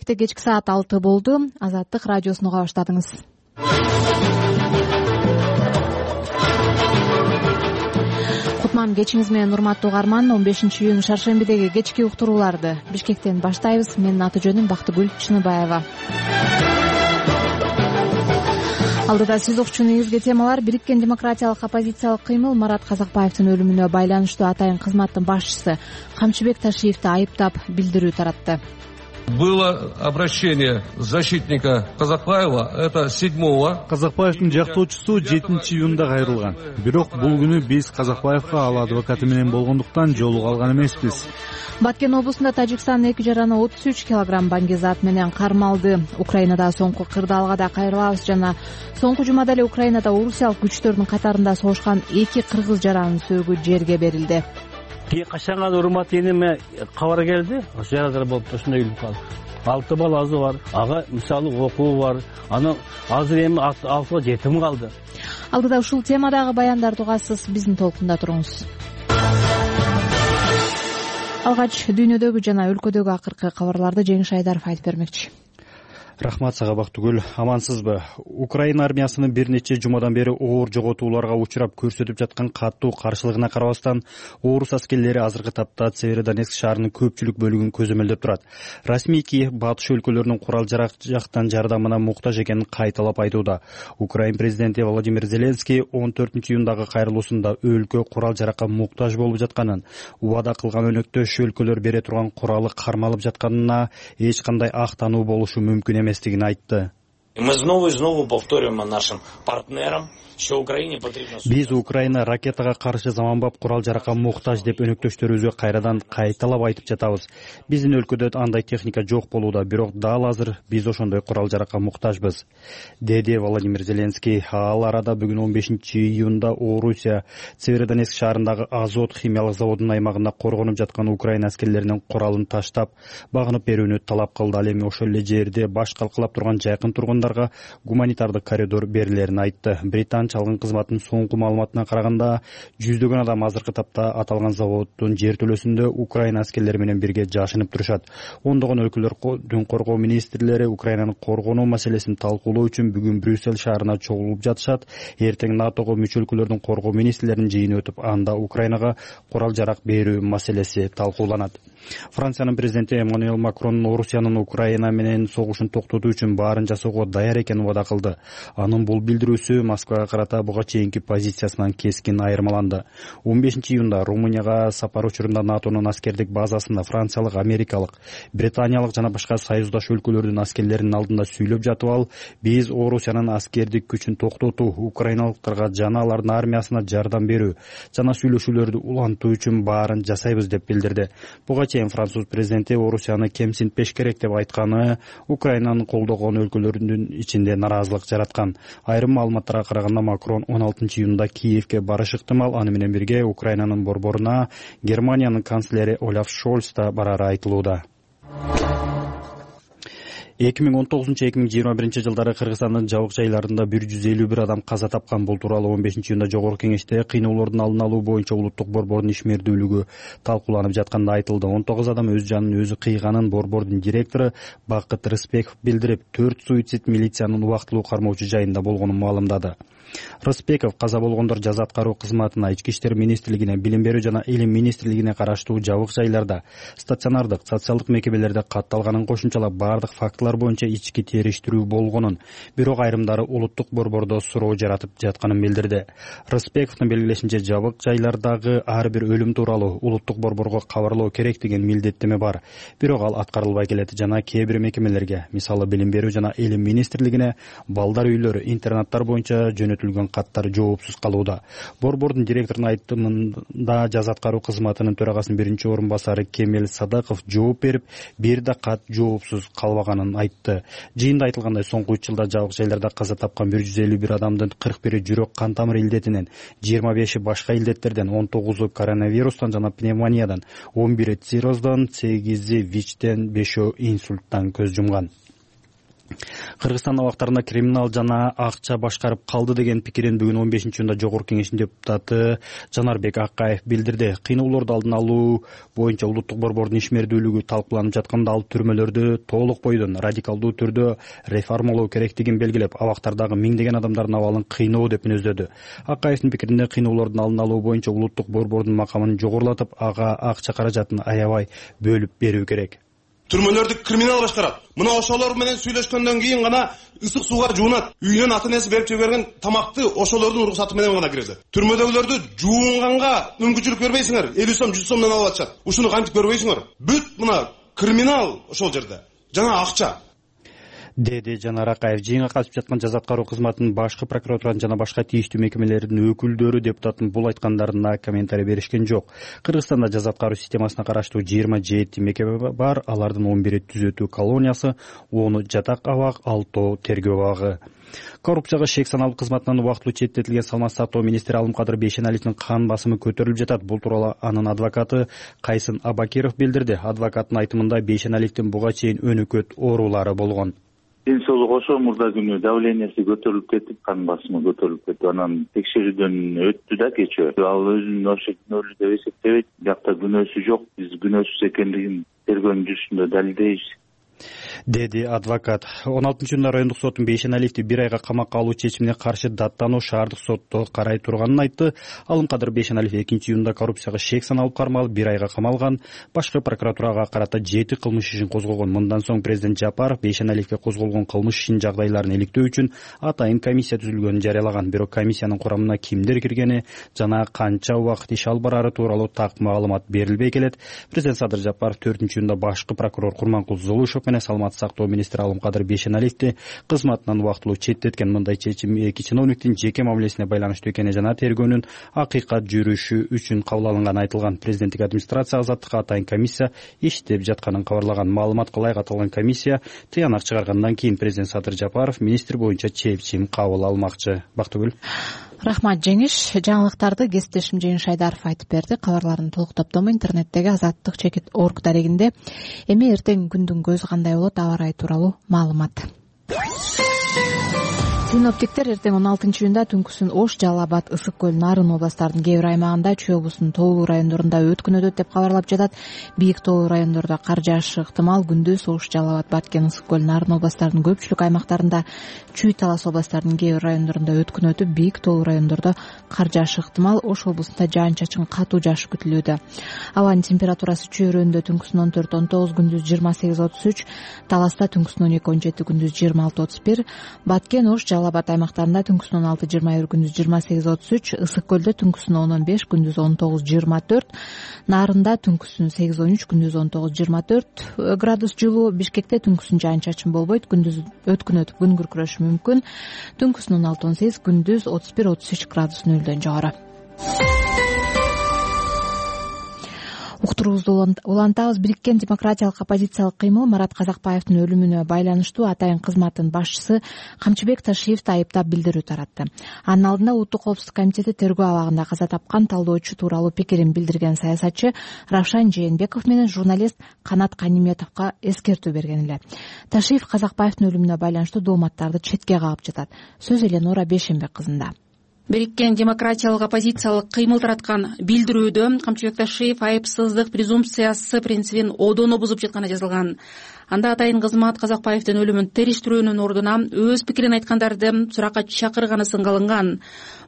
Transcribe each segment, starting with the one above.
эфирде кечки саат 6 болду. Азаттык радиосун уга баштадыңыз. Кутман кечиңиз менен урматтуу угарман. 15-июнь шаршембидеги кечки уктурууларды Бишкектен баштайбыз. Менин аты жөнүм Бактыгүл Чыныбаева. Алдыда сиз укчу негизги темалар: бириккен демократиялык оппозициялык кыймыл Марат Казакбаевдин өлүмүнө байланыштуу атайын кызматтын башчысы Камчыбек Ташиевди айыптап билдирүү таратты. Было обращение защитника Казакбаева, это 7-го. Казакбаевдин жактоочусу 7-июнда кайрылган. Бирок бул күнү биз Казакбаевга ал адвокаты менен болгондуктан жолуга алган эмеспиз. Баткен облусунда Тажикстан 2 жараны 33 килограмм баңгизат менен кармалды. Украинада соңку кырдаалга кайрылабыз жана соңку жумада эле Украинада орусиялык күчтөрдүн катарында согушкан 2 кыргыз жаранын сөөгү жерге берилди. Качанга урмат эниме кабар келди, ошо жарадар болуп ошондой өлүп калды. 6 баласы бар, ага мисалы окуу бар. Аны азыр эми 6 жетим калды. Алдыда ушул темадагы баяндарды угасыз, биздин толкунда туруңуз. Алгач дүйнөдөгү жана өлкөдөгү акыркы кабарларды Жеңиш Айдаров айтып бермекчи. Рахмат сага Бактыгүл, амансызбы? Украина армиясынын бир нече жумадан бери оор жоготууларга учурап көрсөтүп жаткан каттуу каршылыгына карабастан, орус аскерлери азыркы тапта Северодонецк шаарынын көпчүлүк бөлүгүн көзөмөлдөп турат. Расмий Киев батыш өлкөлөрүнүн курал-жарак жактан жардамына муктаж экенин кайталап айтууда. Украина президенти Владимир Зеленский 14-июндагы кайрылуусунда өлкө курал-жаракка муктаж болуп жатканын, убада кылган өнөктөш өлкөлөр бере турган куралы кармалып жатканына эч кандай актануу болушу мүмкүн эместигин айтты. Мы снова и снова повторяем нашим партнерам, что Украине потребно. Биз Украина ракетага каршы заманбап курал-жаракка муктаж деп өнөктөштөрүбүзгө кайрадан кайталап айтып жатабыз. Биздин өлкөдө андай техника жок болууда, бирок дал азыр биз ошондой курал-жаракка муктажбыз, деди Владимир Зеленский. Ал арада бүгүн 15-июнда Орусия Северодонецк шаарындагы Азот химиялык заводунун аймагында коргонуп жаткан Украина аскерлеринин куралын таштап, багынып берүүнү талап кылды. Ал эми ошол эле жерде баш калкалап турган жакын тургундарга гуманитардык коридор берилерин айтты. Британ чалгын кызматынын соңку маалыматына караганда, жүздөгөн адам азыркы тапта аталган заводдун жертөлөсүндө Украина аскерлери менен бирге жашынып турушат. Ондогон өлкөлөрдүн коргоо министрлери Украинаны коргонуу маселесин талкуулоо үчүн бүгүн Брюссель шаарына чогулуп жатышат. Эртең НАТОго мүчө өлкөлөрдүн коргоо министрлеринин жыйыны өтүп, анда Украинага курал-жарак берүү маселеси талкууланат. Франциянын президенти Эммануэль Макрон Орусиянын Украина менен согушун токтотуу үчүн баарын жасоого даяр экенин убада кылды. Анын бул билдирүүсү Москвага карата буга чейинки позициясынан кескин айырмаланды. 15-июнда Румынияга сапар учурунда НАТОнун аскердик базасында франциялык, америкалык, британиялык жана башка союздаш өлкөлөрдүн аскерлеринин алдында сүйлөп жатып ал, биз Орусиянын аскердик күчүн токтотуу, украиналыктарга жана алардын армиясына жардам берүү жана сүйлөшүүлөрдү улантуу үчүн баарын жасайбыз деп билдирди. Буга чейин француз президенти Орусияны кемсинтпеш керек деп айтканы Украинаны колдогон өлкөлөрдүн ичинде наразылык жараткан. Айрым маалыматтарга караганда Макрон 16-июнда Киевге барышы ыктымал. Аны менен бирге Украинанын борборуна Германиянын канцлери Олаф Шольц да барары айтылууда. 2019-2021 жылдары Кыргызстандын жабык жайларында 151 адам каза тапкан. Бул тууралуу 15-июнда Жогорку Кеңеште кыйноолордун алдын алуу боюнча улуттук борбордун ишмердүүлүгү талкууланып жатканда айтылды. 19 адам өз жанын өзү кыйганын борбордун директору Бакыт Рыспеков билдирип, 4 суицид милициянын убактылуу кармоочу жайында болгонун маалымдады. Рыспеков каза болгондор жаза аткаруу кызматына, Ички иштер министрлигине, Билим берүү жана Илим министрлигине караштуу жабык жайларда, стационардык, социалдык мекемелерде катталганын кошумчалап, бардык фактылар боюнча ички териштирүү болгонун, бирок айрымдары улуттук борбордо суроо жаратып жатканын билдирди. Рыспековдун белгилешинче, жабык жайлардагы ар бир өлүм тууралуу улуттук борборго кабарлоо керек деген милдеттеме бар. Бирок ал аткарылбай келет жана кээ бир мекемелерге, мисалы Билим берүү жана Илим министрлигине, балдар үйлөрү, интернаттар боюнча жөнөтүлгөн каттар жоопсуз калууда. Борбордун директорунун айтымында жаза аткаруу кызматынын төрагасынын биринчи орун басары Кемел Садыков жооп берип, бир да кат жоопсуз калбаганын айтты. Жыйында айтылгандай, соңку 3 жылда жабык жайларда каза тапкан 151 адамдын 41-и жүрөк кан тамыр илдетинен, 25-и башка илдеттерден, 19-у коронавирустан жана пневмониядан, 11-и цирроздон, 8-и ВИЧтен, 5-өө инсульттан көз жумган. Кыргызстан абактарында криминал жана акча башкарып калды деген пикирин бүгүн 15-июнда Жогорку Кеңештин депутаты Жанарбек Акаев билдирди. Кыйноолорду алдын алуу боюнча улуттук борбордун ишмердүүлүгү талкууланып жатканда ал түрмөлөрдү толук бойдон радикалдуу түрдө реформалоо керектигин белгилеп, абактардагы миңдеген адамдардын абалын кыйноо деп мүнөздөдү. Акаевдин пикиринде кыйноолордун алдын алуу боюнча улуттук борбордун макамын жогорулатып, ага акча каражатын аябай бөлүп берүү керек. Түрмөлөрдү криминал башкарат. Мына ошолор менен сүйлөшкөндөн кийин гана ысык сууга жуунат. Үйүнөн ата-энеси берип жиберген тамакты ошолордун уруксаты менен гана киргизет. Түрмөдөгүлөрдү жуунганга мүмкүнчүлүк бербейсиңер. 50 сом, 100 сомдон алып атышат. Ушуну кантип көрбөйсүңөр? Бүт мына криминал ошол жерде. Жана акча. Деди Жанар Акаев. Жыйынга катышып жаткан жаза аткаруу кызматынын башкы прокуратуранын жана башка тийиштүү мекемелердин өкүлдөрү депутаттын бул айткандарына комментарий беришкен жок. Кыргызстанда жаза аткаруу системасына караштуу 27 мекеме бар. Алардын 11-и түзөтүү колониясы, 10-у жатак абак, 6-ы тергөө абагы. Коррупцияга шек саналуу кызматынан убактылуу четтетилген Саламатты сактоо министри Алымкадыр Бейшеналиевдин кан басымы көтөрүлүп жатат. Бул тууралуу анын адвокаты Кайсын Абакиров билдирди. Адвокаттын айтымында Бейшеналиевдин буга чейин өнөкөт оорулары болгон. Ден соолук ошо мурда күнү давлениясы көтөрүлүп кетип, кан басымы көтөрүлүп кетип, анан текшерүүдөн өттү да кечээ. Ал өзүн ошо күнөөлүү деп эсептебейт. Биякта күнөөсү жок. Биз күнөөсүз экендигин тергөөнүн жүрүшүндө далилдейбиз, деди адвокат. 16-июнда райондук соттун Бейшеналиевди 1 айга камакка алуу чечимине каршы даттануу шаардык сотто карай турганын айтты. Алымкадыр Бейшеналиев 2-июнда коррупцияга шек саналып кармалып 1 айга камалган. Башкы прокуратурага карата 7 кылмыш ишин козгогон. Мындан соң президент Жапаров Бейшеналиевге козголгон кылмыш ишинин жагдайларын иликтөө үчүн атайын комиссия түзүлгөнүн жарыялаган. Бирок комиссиянын курамына кимдер киргени жана канча убакыт иш алып барары тууралуу так маалымат берилбей келет. Президент Садыр Жапаров 4-июнда башкы прокурор Курманкул Золушев менен Саламатты сактоо министри Алымкадыр Бейшеналиевди кызматынан убактылуу четтеткен. Мындай чечим эки чиновниктин жеке мамилесине байланыштуу экени жана тергөөнүн акыйкат жүрүшү үчүн кабыл алынганы айтылган. Президенттик администрация азаттыкка атайын комиссия иштеп жатканын кабарлаган. Маалыматка ылайык аталган комиссия тыянак чыгаргандан кийин президент Садыр Жапаров министр боюнча чечим кабыл алмакчы. Бактыгүл. Рахмат Жеңиш. Жаңылыктарды кесиптешим Жеңиш Айдаров айтып берди. Кабарлардын толук топтому интернеттеги azattik.org дарегинде. Эми эртең күндүн көзү кандай болот, аба ырайы тууралуу маалымат. Синоптиктер эртең 16-июнда түнкүсүн Ош, Жалал Абад, Ысык көл, Нарын областарынын кээ бир аймагында, Чүй облусунун тоолуу райондорунда өткүнөт деп кабарлап жатат. Бийик тоолуу райондордо кар жаашы ыктымал. Күндүз Ош, Жалал Абад, Баткен, Ысык көл, Нарын областарынын көпчүлүк аймактарында, Чүй, Талас областарынын кээ бир райондорунда өткүн өтүп, бийик тоолуу райондордо кар жаашы ыктымал. Ош облусунда жаан-чачын катуу жаашы күтүлүүдө. Абанын температурасы Чүй өрөөнүндө түнкүсүн 14-19, күндүз 28-33, Таласта түнкүсүн 12-17, күндүз 26-31, Баткен, Ош, Жалал Абад аймактарында түнкүсүн 16-21, күндүз 28-33, Ысык көлдө түнкүсүн 10-15, күндүз 19-24, Нарында түнкүсүн 8-13, күндүз 19-24 градус жылуу. Бишкекте түнкүсүн жаан-чачын болбойт, күндүз өткүн өтүп күн күркүрөшү мүмкүн. Түнкүсүн 16-18, күндүз 31-33 градус нөлдөн жогору. Уктуруубузду улантабыз. Бириккен демократиялык оппозициялык кыймыл Марат Казакбаевдин өлүмүнө байланыштуу атайын кызматтын башчысы Камчыбек Ташиевди айыптап билдирүү таратты. Анын алдында Улуттук коопсуздук комитети тергөө абагында каза тапкан талдоочу тууралуу пикирин билдирген саясатчы Равшан Жээнбеков менен журналист Канат Каниметовго эскертүү берген эле. Ташиев Казакбаевдин өлүмүнө байланыштуу дооматтарды четке кагып жатат. Сөз Эленора Бейшенбек кызында. Бириккен демократиялык оппозициялык кыймыл тараткан билдирүүдө Камчыбек Ташиев айыпсыздык презумпциясы принцибин одоно бузуп жатканы жазылган. Анда атайын кызмат Казакбаевдин өлүмүн териштирүүнүн ордуна өз пикирин айткандарды суракка чакырганы сынга алынган.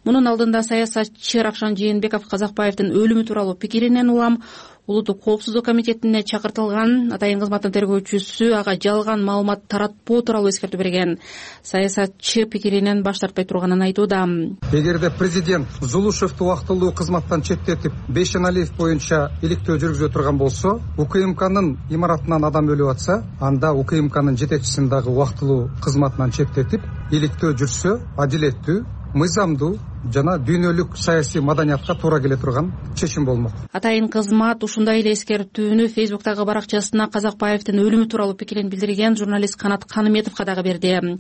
Мунун алдында саясатчы Равшан Жээнбеков Казакбаевдин өлүмү тууралуу пикиринен улам Улуттук коопсуздук комитетине чакыртылган. Атайын кызматтын тергөөчүсү ага жалган маалымат таратпоо тууралуу эскертүү берген. Саясатчы пикиринен баш тартпай турганын айтууда. Эгерде президент Зулушевду убактылуу кызматтан четтетип, Бейшеналиев боюнча иликтөө жүргүзө турган болсо, УКМКнын имаратынан адам өлүп атса, анда УКМКнын жетекчисин дагы убактылуу кызматынан четтетип, иликтөө жүрсө, адилеттүү, мыйзамдуу, жана дүйнөлүк саясий маданиятка туура келе турган чечим болмок. Атайын кызмат ушундай эле эскертүүнү Фейсбуктагы баракчасына Казакбаевдин өлүмү тууралуу пикирин билдирген журналист Канат Каныметовго дагы берди.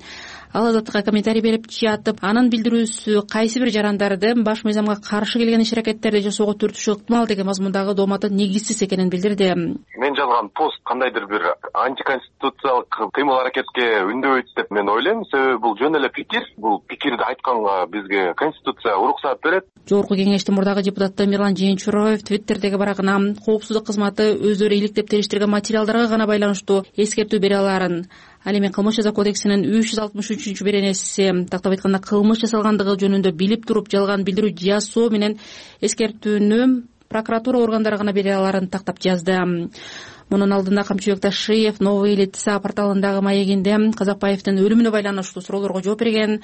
Ал Азаттыкка комментарий берип жатып, анын билдирүүсү кайсы бир жарандарды баш мыйзамга каршы келген иш-аракеттерди жасоого түртүшү ыктымал деген мазмундагы дооматы негизсиз экенин билдирди. Мен жазган пост кандайдыр бир антиконституциялык кыймыл-аракетке үндөбөйт деп мен ойлойм. Себеби бул жөн эле пикир. Бул пикирди айтканга бизге Конституция уруксаат берет. Жогорку кеңештин мурдагы депутаты Мирлан Жээнчуроев Твиттердеги барагына коопсуздук кызматы өздөрү иликтеп териштирген материалдарга гана байланыштуу эскертүү бере аларын, ал эми кылмыш жаза кодексинин 363 беренеси тактап айтканда кылмыш жасалгандыгы жөнүндө билип туруп жалган билдирүү жасоо менен эскертүүнү прокуратура органдары гана бере аларын тактап жазды. Мунун алдында Камчыбек Ташиев Новые лица порталындагы маегинде Казакбаевдин өлүмүнө байланыштуу суроолорго жооп берген.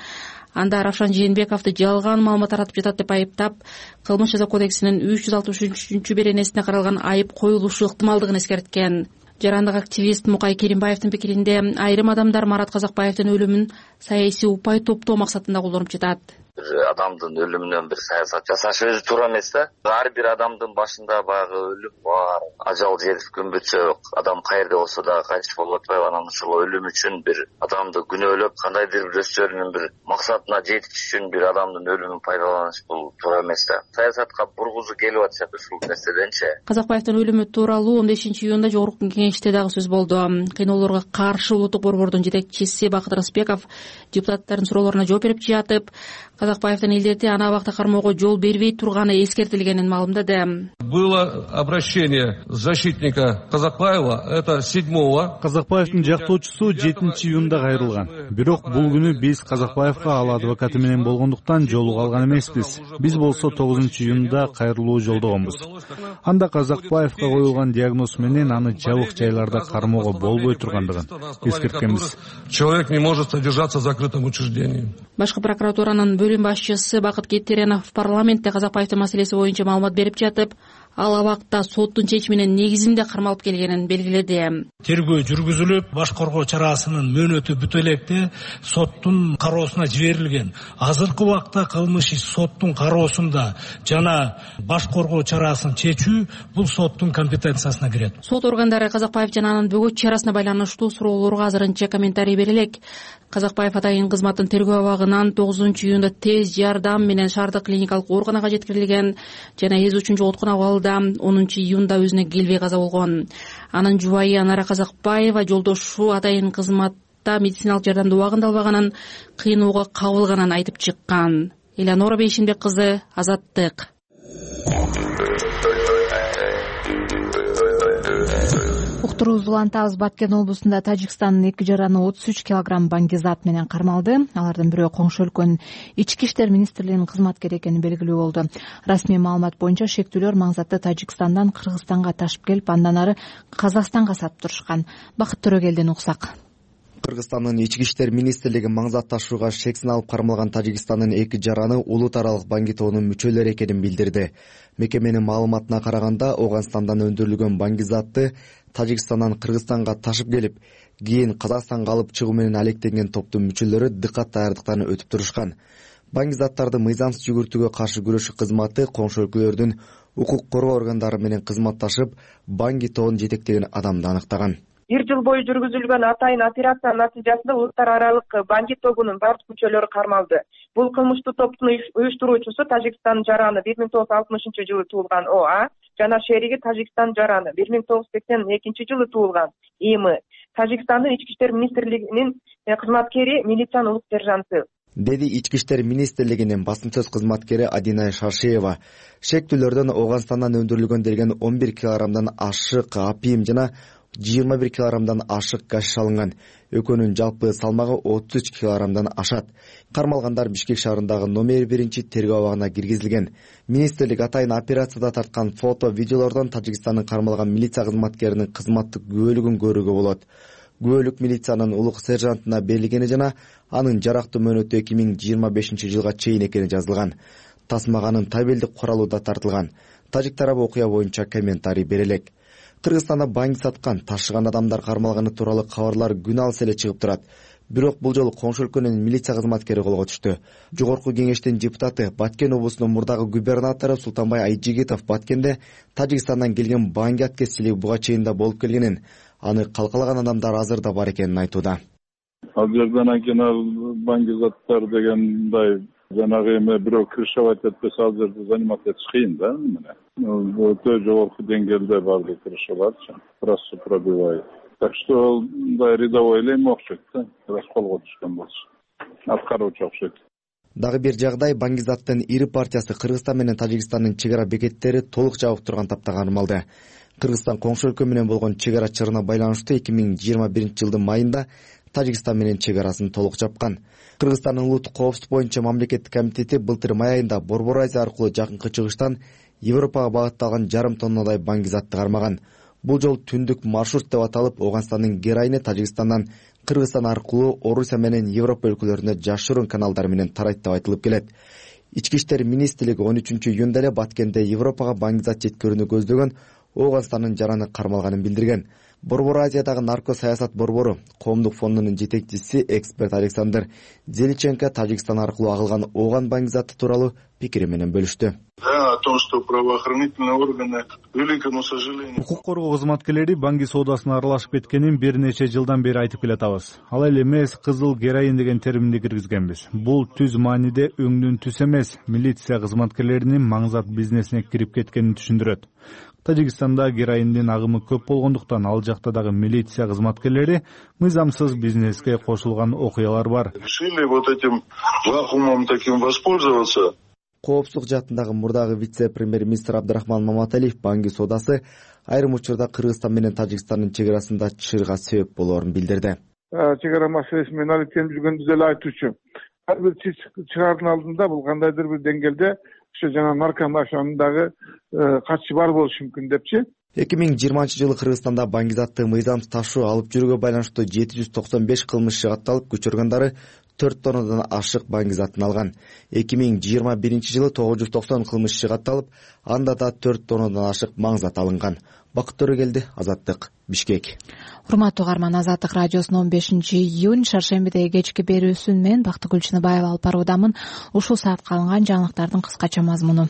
Анда Равшан Жээнбековду жалган маалымат таратып жатат деп айыптап, кылмыш жаза кодексинин 363 беренесине каралган айып коюлушу ыктымалдыгын эскерткен. Жарандык активист Мукай Керимбаевдин пикиринде айрым адамдар Марат Казакбаевдин өлүмүн саясий упай топтоо максатында колдонуп жатат. Бир адамдын өлүмүнөн бир саясат жасаш өзү туура эмес да. Ар бир адамдын башында баягы өлүм бар. Ажал жетип күн бүтсө адам каерде болсо да кайтыш болуп атпайбы? Анан ошол өлүм үчүн бир адамды күнөөлөп кандайдыр бир өздөрүнүн бир максатына жетиш үчүн бир адамдын өлүмүн пайдаланыш бул туура эмес да. Саясатка бургузуу келип атышат ушул нерседенчи. Казакбаевдин өлүмү тууралуу 15-июнда жогорку кеңеште дагы сөз болду. Кыйноолорго каршы улуттук борбордун жетекчиси Бакыт Рысбеков депутаттардын суроолоруна жооп берип жатып, Казакбаевдин илдети аны абакта кармоого жол бербей турганы эскертилгенин маалымдады. Было обращение защитника Казакбаева, это 7-го. Казакбаевдин жактоочусу 7-июнда кайрылган. Бирок бул күнү биз Казакбаевга ал адвокаты менен болгондуктан жолуга алган эмеспиз. Биз болсо 9-июнда кайрылуу жолдогонбуз. Анда Казакбаевга коюлган диагноз менен аны жабык жайларда кармоого болбой тургандыгын эскерткенбиз. Человек не может содержаться в закрытом учреждении. Башкы прокуратуранын бөлүм башчысы Бакыт Кеттеренов парламентте Казакбаевдин маселеси боюнча маалымат берип жатып, ал абакта соттун чечиминин негизинде кармалып келгенин белгиледи. Тергөө жүргүзүлүп, баш коргоо чарасынын мөөнөтү бүтө электе соттун кароосуна жиберилген. Азыркы убакта кылмыш иш соттун кароосунда жана баш коргоо чарасын чечүү бул соттун компетенциясына кирет. Сот органдары Казакбаев жана анын бөгөт чарасына байланыштуу суроолорго азырынча комментарий бере элек. Казакбаев атайын кызматтын тергөө абагынан 9-июнда тез жардам менен шаардык клиникалык ооруканага жеткирилген жана эз үчүн жоготкон абалда 10-июнда өзүнө келбей каза болгон. Анын жубайы Анара Казакбаева жолдошу атайын кызматта медициналык жардамды убагында албаганын, кыйноого кабылганын айтып чыккан. Элеонора Бейшенбек кызы, Азаттык. Уктуруубузду улантабыз. Баткен облусунда Тажикстандын 2 жараны 33 килограмм баңгизат менен кармалды. Алардын бирөө коңшу өлкөнүн ички иштер министрлигинин кызматкери экени белгилүү болду. Расмий маалымат боюнча шектүүлөр маңзатты Тажикстандан Кыргызстанга ташып келип, андан ары Казакстанга сатып турушкан. Бакыт Төрөгелден уксак. Кыргызстандын ички иштер министрлиги маңзат ташууга шексин алып кармалган Тажикстандын 2 жараны улут аралык баңгитоонун мүчөлөрү экенин билдирди. Мекеменин маалыматына караганда, Ооганстандан өндүрүлгөн баңгизатты Тажикстандан Кыргызстанга ташып келип, кийин Казакстанга алып чыгуу менен алектенген топтун мүчөлөрү дыкат даярдыктан өтүп турушкан. Баңгизаттарды мыйзамсыз жүгүртүүгө каршы күрөшүү кызматы коңшу өлкөлөрдүн укук коргоо органдары менен кызматташып, баңгитоон жетектеген адамды аныктаган. 1 жыл бою жүргүзүлгөн атайын операциянын натыйжасында улуттар аралык баңгит тобунун бардык мүчөлөрү кармалды. Бул кылмыштуу топтун уюштуруучусу Тажикстан жараны 1960-жылы туулган ОА жана шериги Тажикстан жараны 1982-жылы туулган ИМ. Тажикстандын ички иштер министрлигинин кызматкери милициянын улук сержанты, деди ички иштер министрлигинин басым сөз кызматкери Адина Шаршеева. Шектүүлөрдөн Ооганстандан өндүрүлгөн делген 11 килограммдан ашык апиим жана 21 килограммдан ашык гашиш алынган. Экөөнүн жалпы салмагы 33 килограммдан ашат. Кармалгандар Бишкек шаарындагы номер 1 тергөө абагына киргизилген. Министрлик атайын операцияда тарткан фото, видеолордон Тажикстандын кармалган милиция кызматкеринин кызматтык күбөлүгүн көрүүгө болот. Күбөлүк милициянын улук сержантына берилгени жана анын жарактуу мөөнөтү 2025-жылга чейин экени жазылган. Тасмаганын табелдик куралы да тартылган. Тажик тарабы окуя боюнча комментарий бере элек. Кыргызстанда баңги саткан, ташыган адамдар кармалганы тууралуу кабарлар күн алыс эле чыгып турат. Бирок бул жолу коңшу өлкөнүн милиция кызматкери колго түштү. Жогорку кеңештин депутаты, Баткен облусунун мурдагы губернатору Султанбай Айжигитов Баткенде Тажикстандан келген Банги аткезчилиги буга чейин да болуп келгенин, аны калкалаган адамдар азыр да бар экенин айтууда. Ал жерден анан баңгизаттар дегендай жанагы эме бирөө крышевать этпесе ал жерде заниматься этиш кыйын да. Өтө жогорку деңгээлде баардык крышаларчы. Трассу пробивает. Так что мындай рядовой эле эме окшойт да. Раз колго түшкөн болсо. Аткаруучу окшойт. Дагы бир жагдай, Баңгизаттын ири партиясы Кыргызстан менен Тажикстандын чек ара бекеттери толук жабык турган тапта кармалды. Кыргызстан коңшу өлкө менен болгон чек ара чырына байланыштуу 2021 жылдын майында Тажикстан менен чек арасын толук жапкан. Кыргызстандын улуттук коопсуздук боюнча мамлекеттик комитети былтыр май айында Борбор Азия аркылуу жакынкы чыгыштан Европага багытталган 1,5 тоннадай баңгизатты кармаган. Бул жол түндүк маршрут деп аталып, Ооганстандын героини Тажикстандан Кыргызстан аркылуу Орусия менен Европа өлкөлөрүнө жашыруун каналдар менен тарайт деп айтылып келет. Ички иштер министрлиги 13-июнда эле Баткенде Европага баңгизат жеткирүүнү көздөгөн Ооганстандын жараны кармалганын билдирген. Борбор Азиядагы нарко саясат борбору коомдук фондунун жетекчиси эксперт Александр Зеличенко Тажикстан аркылуу агылган Ооган баңгизаты тууралуу пикири менен бөлүштү. О том, что правоохранительные органы, к великому сожалению... Укук коргоо кызматкерлери баңги соодасына аралашып кеткенин бир нече жылдан бери айтып келатабыз. Ал эле эмес, кызыл героин деген терминди киргизгенбиз. Бул түз мааниде өңдүн түз эмес, милиция кызматкерлеринин маңзат бизнесине кирип кеткенин түшүндүрөт. Тажикстанда героиндин агымы көп болгондуктан ал жакта дагы милиция кызматкерлери мыйзамсыз бизнеске кошулган окуялар бар. Решили вот этим вакуумом таким воспользоваться. Коопсуздук жаатындагы мурдагы вице-премьер-министр Абдрахман Маматалиев Банги соодасы айрым учурда Кыргызстан менен Тажикстандын чек арасында чырга себеп болоорун билдирди. Чек ара маселеси менен алектенип жүргөндү деле айтуучу. Ар бир чыгаардын алдында бул кандайдыр бир деңгээлде ошо жана наркомафиянын дагы катышы бар болушу мүмкүн депчи. 2020 жылы Кыргызстанда баңгизатты мыйзамсыз ташуу алып жүрүүгө байланыштуу 795 кылмыш катталып, күч органдары 4 тоннадан ашык баңгизатын алган. 2021 жылы 990 кылмыш катталып, анда да 4 тоннадан ашык маңзат алынган. Бакыт Төрөгелди, Азаттык, Бишкек. Урматтуу угарман, Азаттык радиосунун 15-июнь шаршембидеги кечки берүүсүн мен Бактыгүл Чыныбаева алып баруудамын. Ушул саатка алынган жаңылыктардын кыскача мазмуну.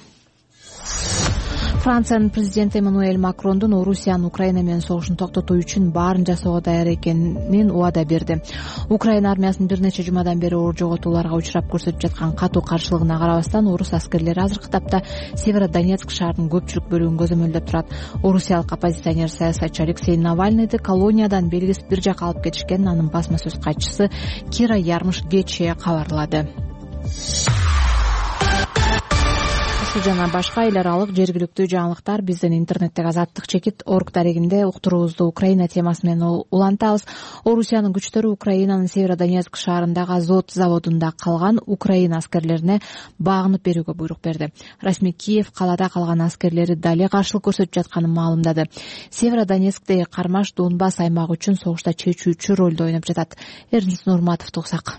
Франциянын президенти Эммануэль Макрондун Орусиянын Украина менен согушун токтотуу үчүн баарын жасоого даяр экенин убада берди. Украина армиясынын бир нече жумадан бери оор жоготууларга учурап көрсөтүп жаткан катуу каршылыгына карабастан, орус аскерлери азыркы тапта Северодонецк шаарынын көпчүлүк бөлүгүн көзөмөлдөп турат. Орусиялык оппозиционер саясатчы Алексей Навальныйды колониядан белгисиз бир жака алып кетишкенин анын басма сөз катчысы Кира Ярмыш кечээ кабарлады. Жана башка эл аралык жергиликтүү жаңылыктар биздин интернеттеги azattik.org дарегинде уктуруубузду Украина темасы менен улантабыз. Орусиянын күчтөрү Украинанын Северодонецк шаарындагы Азот заводунда калган Украина аскерлерине багынып берүүгө буйрук берди. Расмий Киев калада калган аскерлери дале каршылык көрсөтүп жатканын маалымдады. Северодонецктеги кармаш Донбасс аймагы үчүн согушта чечүүчү ролду ойноп жатат. Эрнис Нурматовду угсак.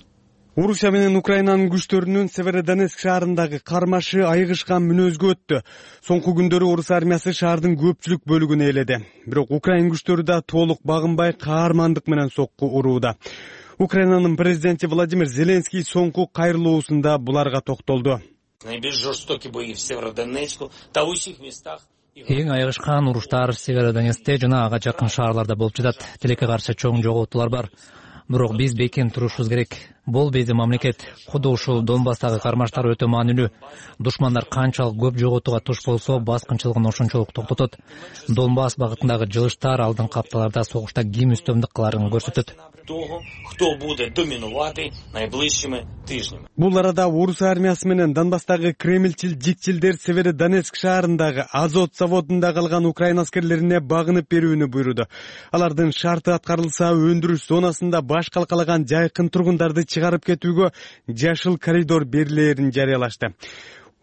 Орусия менен Украинанын күчтөрүнүн Северодонецк шаарындагы кармашы айыгышкан мүнөзгө өттү. Соңку күндөрү орус армиясы шаардын көпчүлүк бөлүгүн ээледи. Бирок Украин күчтөрү да толук багынбай каармандык менен сокку урууда. Украинанын президенти Владимир Зеленский соңку кайрылуусунда буларга токтолду. Эң айыгышкан уруштар Северодонецкте жана ага жакын шаарларда болуп жатат. Тилекке каршы чоң жоготуулар бар. Бирок биз бекем турушубуз керек. Бул биздин мамлекет. Куду ушул Донбасстагы кармаштар өтө маанилүү. Душмандар канчалык көп жоготууга туш болсо, баскынчылыгын ошончолук токтотот. Донбасс багытындагы жылыштар алдыңкы апталарда согушта ким үстөмдүк кыларын көрсөтөт. Кто будет доминувати найближчими тижнями. Бул арада орус армиясы менен Донбасстагы кремлчил жикчилдер Северодонецк шаарындагы Азот заводунда калган Украина аскерлерине багынып берүүнү буйруду. Алардын шарты аткарылса, өндүрүш зонасында баш калкалаган жайкын тургундарды чыгарып кетүүгө жашыл коридор берилээрин жарыялашты.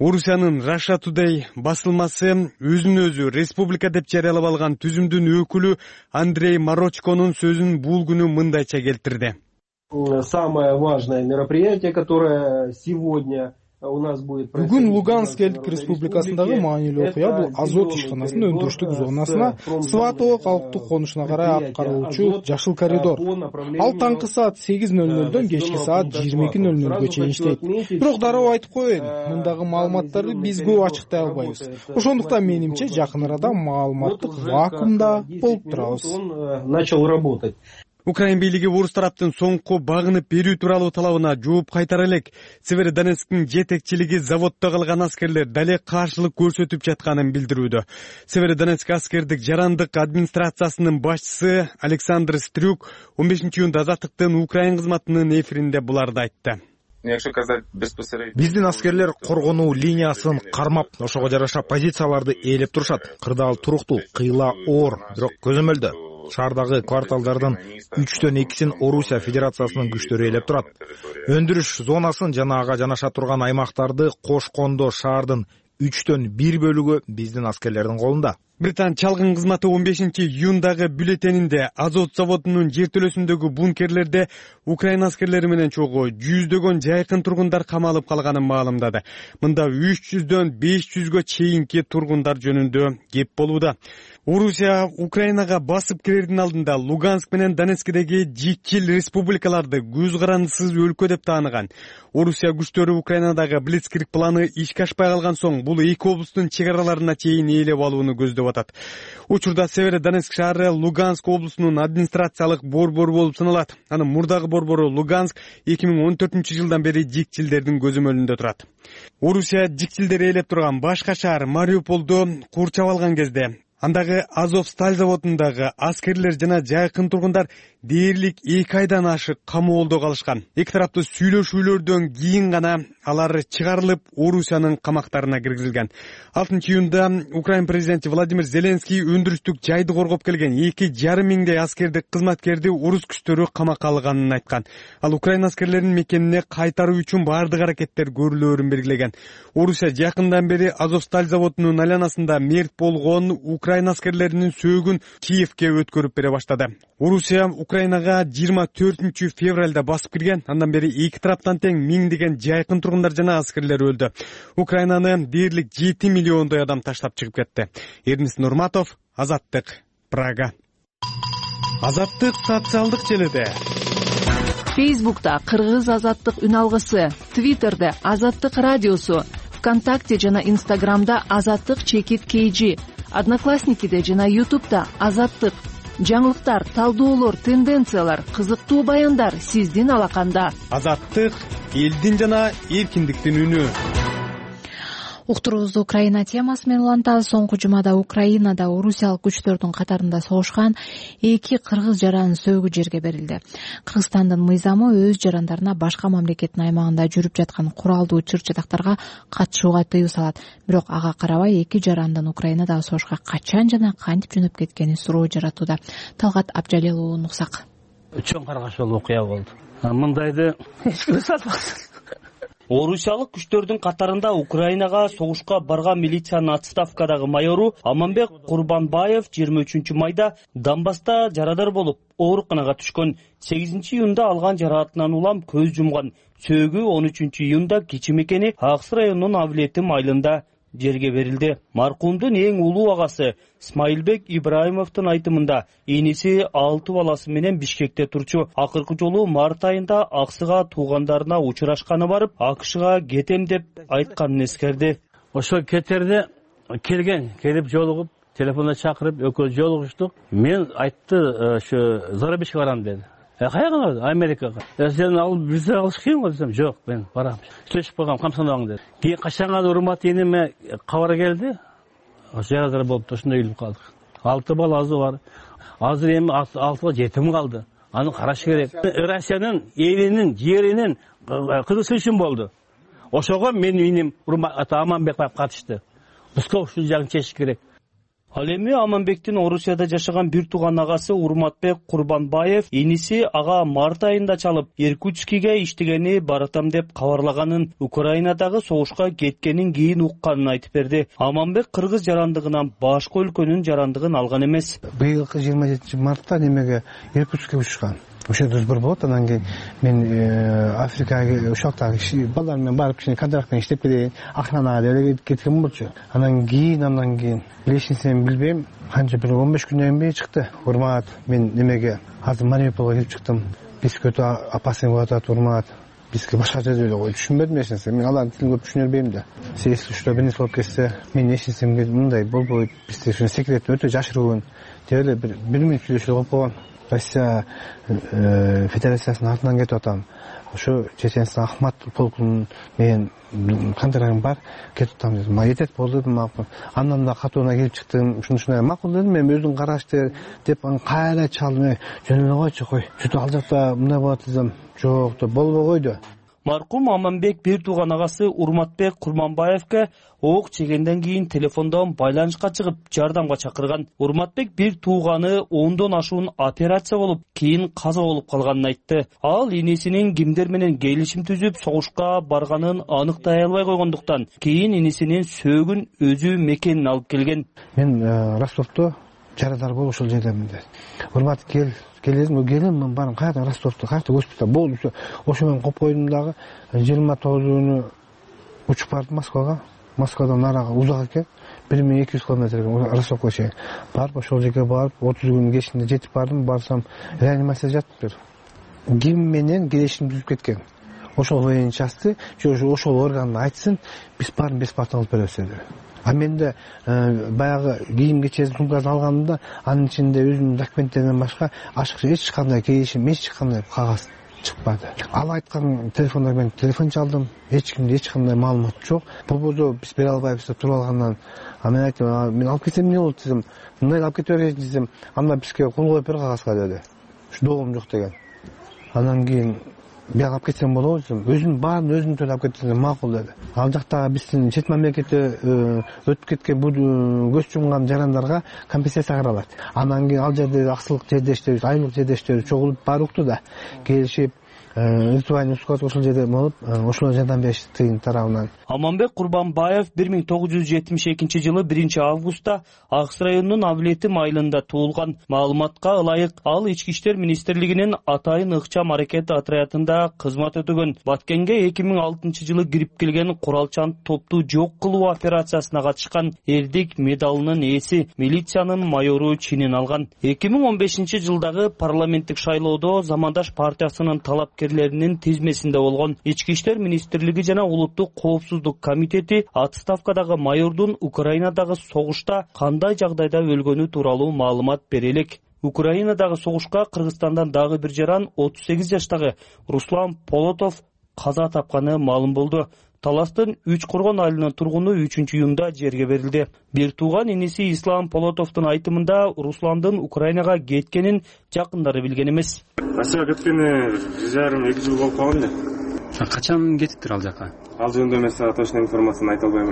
Орусиянын Russia Today басылмасы өзүн өзү республика деп жарыялап алган түзүмдүн өкүлү Андрей Марочконун сөзүн бул күнү мындайча келтирди. Самое важное мероприятие, которое сегодня Бүгүн Луганск элдик республикасындагы маанилүү окуя бул азот ишканасынын өндүрүштүк зонасына Сватово калктык конушуна карай аткарылуучу жашыл коридор. Ал таңкы саат 8:00дөн кечки саат 22:00га чейин иштейт. Бирок дароо айтып коеюн, мындагы маалыматтарды биз көп ачыктай албайбыз. Ошондуктан менимче жакын арада маалыматтык вакуумда болуп турабыз. Начал работать. Украин бийлиги орус тараптын соңку багынып берүү тууралуу талабына жооп кайтара элек. Северодонецктин жетекчилиги заводдо калган аскерлер дале каршылык көрсөтүп жатканын билдирүүдө. Северодонецк аскердик жарандык администрациясынын башчысы Александр Стрюк 15-июнда Азаттыктын Украин кызматынын эфиринде буларды айтты. Биздин аскерлер коргонуу линиясын кармап, ошого жараша позицияларды ээлеп турушат. Кырдаал туруктуу, кыйла оор, бирок көзөмөлдө. Шаардагы кварталдардын 3/2-син Орусия Федерациясынын күчтөрү ээлеп турат. Өндүрүш зонасын жана ага жанаша турган аймактарды кошкондо шаардын 3/1 бөлүгү биздин аскерлердин колунда. Британ чалгын кызматы 15-июндагы бюллетенинде азот заводунун жертөлөсүндөгү бункерлерде Украин аскерлери менен чогуу жүздөгөн жайкын тургундар камалып калганын маалымдады. Мында 300дөн 500гө чейинки тургундар жөнүндө кеп болууда. Орусия Украинага басып кирердин алдында Луганск менен Донецкдеги жикчил республикаларды көз карандысыз өлкө деп тааныган. Орусия күчтөрү Украинадагы Блицкриг планы ишке ашпай калган соң бул эки облустун чек араларына чейин ээлеп алууну көздөп атат. Учурда Северодонецк шаары Луганск облусунун администрациялык борбору болуп саналат. Анын мурдагы борбору Луганск 2014-жылдан бери жикчилдердин көзөмөлүндө турат. Орусия жикчилдери ээлеп турган башка шаар Мариуполду курчап алган кезде андагы Азовсталь заводундагы аскерлер жана жайкын тургундар дээрлик 2 айдан ашык камоолдо калышкан. Эки тараптуу сүйлөшүүлөрдөн кийин гана алар чыгарылып, Орусиянын камактарына киргизилген. 6-июнда Украин президенти Владимир Зеленский өндүрүштүк жайды коргоп келген 2,5 миңдей аскердик кызматкерди орус күчтөрү камакка алганын айткан. Ал Украин аскерлеринин мекенине кайтаруу үчүн баардык аракеттер көрүлөөрүн белгилеген. Орусия жакындан бери Азовсталь заводунун айланасында мерт болгон Украин аскерлеринин сөөгүн Киевке өткөрүп бере баштады. Орусия Украинага 24-февралда басып кирген. Андан бери эки тараптан тең миңдеген жайкын тургундар жана аскерлер өлдү. Украинаны дээрлик 7 миллиондой адам таштап чыгып кетти. Эрнис Нурматов, Азаттык, Прага. Азаттык социалдык желиде. Фейсбукта Кыргыз Азаттык үн алгысы, Твиттерде Азаттык радиосу, ВКонтакте жана Инстаграмда Азаттык _KG, Одноклассникиде жана Ютубта Азаттык. Жаңылыктар, талдоолор, тенденциялар, кызыктуу баяндар сиздин алаканда. Азаттык элдин жана эркиндиктин үнү. Уктуруубузду Украина темасы менен улантабыз. Соңку жумада Украинада орусиялык күчтөрдүн катарында согушкан 2 кыргыз жаранын сөөгү жерге берилди. Кыргызстандын мыйзамы өз жарандарына башка мамлекеттин аймагында жүрүп жаткан куралдуу чыр-чатактарга катышууга тыюу салат. Бирок ага карабай 2 жарандын Украинадагы согушка качан жана кантип жөнөп кеткени суроо жаратууда. Талгат Абжалил уулу Нуксак. Чоң каргашылуу окуя болду. Мындайды эч ким сатпас. Орусиялык күчтөрдүн катарында Украинага согушка барган милициянын отставкадагы майору Аманбек Курбанбаев 23 майда Донбасста жарадар болуп, ооруканага түшкөн. 8-июнда алган жараатынан улам көз жумган. Сөөгү 13-июнда кичи мекени Аксы районунун Авлетим айылында жерге берилди. Маркумдун эң улуу агасы Смайылбек Ибраимовдун айтымында эниси 6 баласы менен Бишкекте турчу. Акыркы жолу март айында Аксыга туугандарына учурашканы барып, АКШга кетем деп айтканын эскерди. Ошо кетерде келип жолугуп, телефонда чакырып, экөөбүз жолугуштук. Мен айтты, ошо Зарабишке барам деди. Каяга? Америкага. Сен алып виза алыш кыйын го десем, жок, мен барам. Сөйлөшүп койгом, камсандабаң деди. Кийин качанга урмат эниме кабар келди. Жарадар болуп, ошондой үйлүп калдык. 6 баласы бар. Азыр эми 6га жетим калды. Аны караш керек. Россиянын элинин, жеринин кызыгышы үчүн болду. Ошого менин иним Аманбек катышты. Бизге ушул жагын чечиш керек. Ал эми Аманбектин Орусияда жашаган бир тууган агасы Урматбек Курбанбаев эниси ага март айында чалып, Иркутскиге иштегени баратам деп кабарлаганын, Украинадагы согушка кеткенин кийин укканын айтып берди. Аманбек кыргыз жарандыгынан башка өлкөнүн жарандыгын алган эмес. Быйылкы 27 мартта немеге Иркутскке учкан. ошо сбор болот. Анан кийин мен Африкага ушактагы балдар менен барып кичине контрактын иштеп келейин, охранага деле кеткен болчу. Анан кийин билесиңиз, билбейм, канча бир 15 күндөн кийин чыкты. Урмат, мен немеге азыр Мариуполго келип чыктым. Бизге өтө опасный болуп атат, урмат. Бизге башка жерде түшүнбөдүм эч нерсе. Мен алардын тилин көп түшүнө бербейм да. Если что бир нерсе болуп кетсе, мен эч нерсемге мындай болбойт. Бизде секрет өтө жашыруун. Деп эле бир мүнөт сүйлөшүп алып койгон. Россия Федерациясынын артынан кетип атам. Ошо Чеченстан Ахмат полкунун менен контрагым бар, кетип атам дедим. Жетет болду дедим. Андан да катууна келип чыктым. Ушундай макул дедим. Мен өзүң карашты деп кайра чалдым. Жөн эле койчу, кой. Чөтө ал жакта мындай болот десем, жок деп болбой койду. Маркум Аманбек бир тууган агасы Урматбек Курманбаевге ок чегенден кийин телефондон байланышка чыгып, жардамга чакырган. Урматбек бир тууганы 10дон ашуун операция болуп, кийин каза болуп калганын айтты. Ал инесинин кимдер менен келишим түзүп, согушка барганын аныктай албай койгондуктан, кийин инесинин сөөгүн өзү мекенин алып келген. Мен Ростовдо жарадар болуп ошол жердемин деп. Урмат келдим, мен барам кайрадан Ростовдо, кайрадан госпиталь болду. Ошо менен коюп койдум дагы 29-күнү учуп бардым Москвага. Москвадан нарага узак экен, 1200 километр Ростовго чейин. Барып ошол жерге барып 30 күн кечинде жетип бардым. Барсам реанимацияда жатыптыр. Ким менен келишим түзүп кеткен. Ошол военный частты, ошол органды айтсын, биз баарын бесплатно алып беребиз деди. А менде баягы кийим кечесин сумкасын алгандымда анын ичинде өзүнүн документтеринен башка ашыкча эч кандай келишим, эч кандай кагаз чыкпады. Ал айткан телефондон мен телефон чалдым, эч кимде эч кандай маалымат жок. Болбосо биз бере албайбыз деп туруп алгандан мен айттым, мен алып кетсем эмне болот десем, мындай алып кете берейин десем, анда бизге кол коюп бер кагазга деди. Ушу доогум жок деген. Андан кийин бияга алып кетсем болобу десем, өзүнүн баарын өзүм төлөп кетсем макул деди. Ал жактагы биздин чет мамлекетте өтүп кеткен бул көз жумган жарандарга компенсация каралат. Андан кийин ал жерде аксылык жердештерибиз, айлык жердештерибиз чогулуп баары укту да, келишип ритуальный склад ошол жерде болуп, ошолор жардам беришти тыйын тарабынан. Аманбек Курманбаев 1972-жылы 1-августта Акс районунун Авлетим айылында туулган. Маалыматка ылайык, ал Ички иштер министрлигинин Атайын ыкчам аракет отрядында кызмат өтөгөн. Баткенге 2006-жылы кирип келген куралчан топту жок кылуу операциясына катышкан, эрдик медалынын ээси, милициянын майору чинин алган. 2015-жылдагы парламенттик шайлоодо Замандаш партиясынын талапкерлеринин тизмесинде болгон. Ички иштер министрлиги жана улуттук коопсуздук комитети отставкадагы майордун Украинадагы согушта кандай жагдайда өлгөнү тууралуу маалымат бере элек. Украинадагы согушка Кыргызстандан дагы бир жаран 38 жаштагы Руслан Полотов каза тапканы маалым болду. Таластын 3 Коргон айылынын тургуну 3-июнда жерге берилди. Бир тууган иниси Ислам Полотовдун айтымында Русландын Украинага кеткенин жакындары билген эмес. Россияга кеткени 1,5-2 жыл болуп калган. Качан кетиптир ал жака? Ал жөнүндө мен сага точно информацияны айта албайм,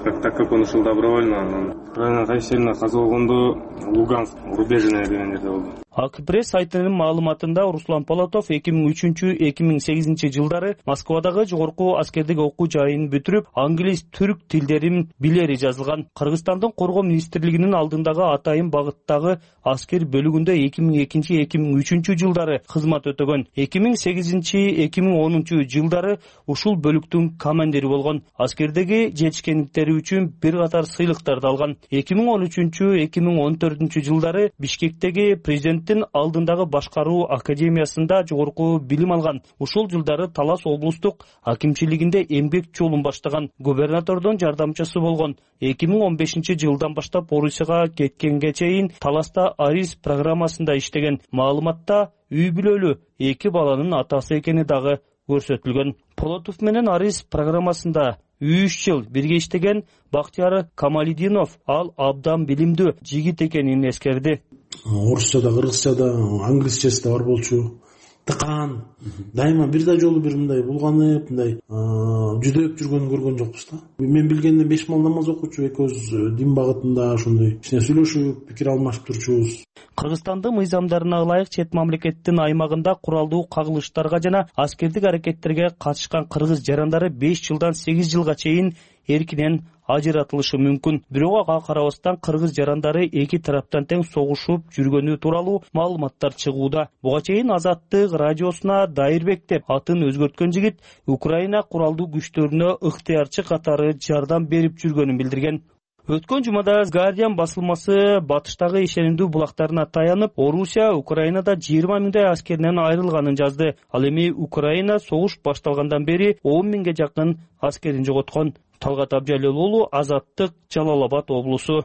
бирок так как он ушул добровольно Украина кайсы жерине каза болгондо Луганск рубежине деген жерде болду. Акпресс сайтынын маалыматында Руслан Полотов 2003-2008 жылдары Москвадагы жогорку аскердик окуу жайын бүтүрүп, англис, түрк тилдерин билери жазылган. Кыргызстандын Коргоо министрлигинин алдындагы Атайын багыттагы аскер бөлүгүндө 2002-2003 жылдары кызмат өтөгөн. 2008-2010 жылдары ушул бөлүктүн командири болгон. Аскердеги жетишкендиктери үчүн бир катар сыйлыктарды алган. 2013-2014 жылдары Бишкектеги президент алдындагы башкаруу академиясында жогорку билим алган. Ушул жылдары Талас облустук акимчилигинде эмгек жолун баштаган, губернатордун жардамчысы болгон. 2015 жылдан баштап Орусияга кеткенге чейин Таласта Арис программасында иштеген. Маалыматта үй бүлөлүү 2 баланын атасы экени дагы көрсөтүлгөн. Полотов менен Арис программасында 3 жыл бирге иштеген Бактияр Камалидинов ал абдан билимдүү жигит экенин эскерди. Орусчада, кыргызчада, англисчеси бар болчу. Тыкан. Дайыма бир да жолу бир мындай булганып, мындай жүдөп жүргөнүн көргөн жокпуз да. Мен билгенден 5 мал намаз окучу, экөөбүз дин багытында ошондой кичине сүйлөшүп, пикир алмашып турчубуз. Кыргызстандын мыйзамдарына ылайык чет мамлекеттин аймагында куралдуу кагылыштарга жана аскердик аракеттерге катышкан кыргыз жарандары 5 жылдан 8 жылга чейин эркинен ажыратылышы мүмкүн. Бирок ага карабастан кыргыз жарандары эки тараптан тең согушуп жүргөнү тууралуу маалыматтар чыгууда. Буга чейин Азаттык радиосуна Дайырбек деп атын өзгөрткөн жигит Украина куралдуу күчтөрүнө ыктыярчы катары жардам берип жүргөнүн билдирген. Өткөн жумада Guardian басылмасы батыштагы ишенимдүү булактарына таянып, Орусия Украинада 20 миңдей аскеринен айрылганын жазды. Ал эми Украина согуш башталгандан бери 10 миңге жакын аскерин жоготкон. Талгат Абжалил уулу, Азаттык, Жалал Абад облусу.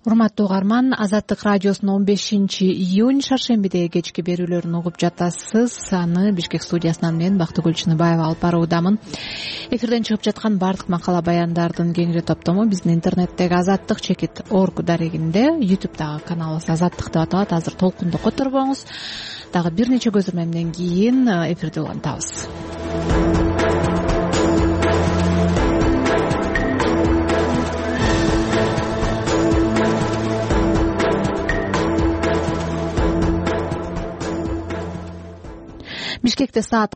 Урматтуу угарман, Азаттык радиосунун 15-июнь шаршембидеги кечки берүүлөрүн угуп жатасыз. Аны Бишкек студиясынан мен Бактыгүл Чыныбаева алып баруудамын. Эфирден чыгып жаткан бардык макала баяндардын кеңири топтому биздин интернеттеги azattik.org дарегинде, YouTube'дагы каналыбыз Азаттык деп аталат. Азыр толкунду которбоңуз. Дагы бир нече көзөрмөмдөн кийин эфирде улантабыз. Бишкекте саат